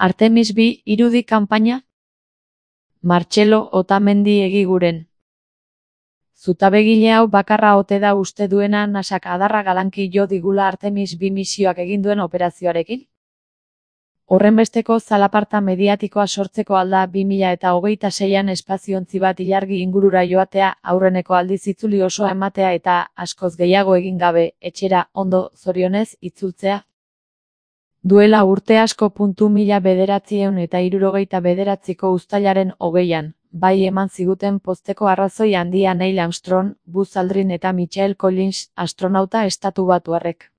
Artemis B irudi kanpaina? Martxelo Otamendi egiguren. Zutabegile hau bakarra ote da uste duena NASAk adarra galanki jo digula Artemis B misioak egin duen operazioarekin? Horrenbesteko zalaparta mediatikoa sortzeko alda 2026an espaziontzi bat ilargi ingurura joatea, aurreneko aldiz itzuli osoa ematea eta, askoz gehiago egin gabe, etxera, ondo, zorionez, itzultzea? Duela urte asko. 1969ko uztailaren 20an, bai eman ziguten pozteko arrazoi handia Neil Armstrong, Buzz Aldrin eta Michael Collins, astronauta estatubatuarrek.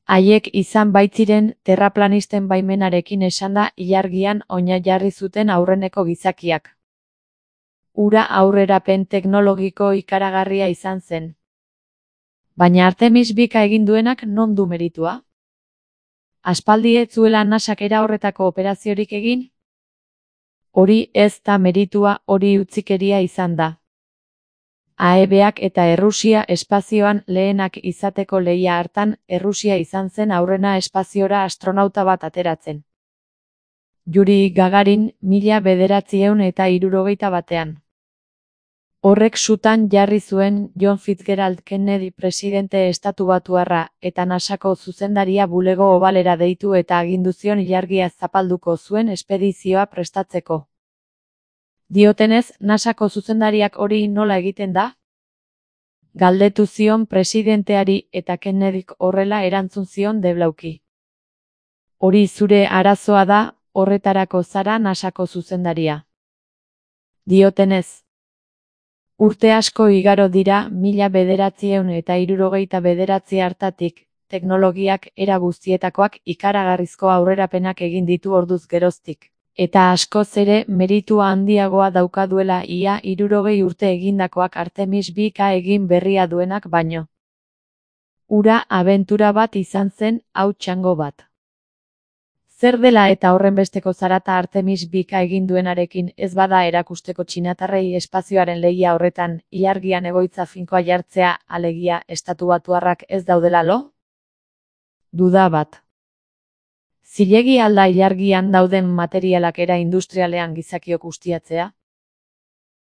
Haiek izan baitziren, terraplanisten baimenarekin esanda, ilargian oinarri zuten aurreneko gizakiak. Hura aurrerapen teknologiko ikaragarria izan zen. Baina Artemis Bka egin duenak non du meritua? Aspaldi ez zuela NASAk era horretako operaziorik egin? Hori ez da meritua, hori utzikeria izan da. AEBak eta Errusia espazioan lehenak izateko lehia hartan, Errusia izan zen aurrena espaziora astronauta bat ateratzen. Yuri Gagarin, 1961ean. Horrek sutan jarri zuen John Fitzgerald Kennedy presidente estatubatuarra, eta NASAko zuzendaria bulego obalera deitu eta agindu zion ilargia zapalduko zuen espedizioa prestatzeko. Diotenez, NASAko zuzendariak hori nola egiten da? Galdetu zion presidenteari eta Kennedyk horrela erantzun zion deblauki. Hori zure arazoa da, horretarako zara NASAko zuzendaria. Diotenez. Urte asko igaro dira 1969 hartatik, teknologiak era guztietakoak ikaragarrizko aurrerapenak egin ditu orduz geroztik, eta askoz ere meritua handiagoa daukaduela ia 60 urte egindakoak Artemis Bka egin berria duenak baino. Hura abentura bat izan zen, hau txango bat. Zer dela eta horrenbesteko zarata Artemis Bka egin duenarekin ez bada erakusteko txinatarrei espazioaren lehia horretan, ilargian egoitza finkoa jartzea, alegia, estatubatuarrak ez daudela lo? Duda bat. Zilegi alda ilargian dauden materialak era industrialean gizakiok ustiatzea?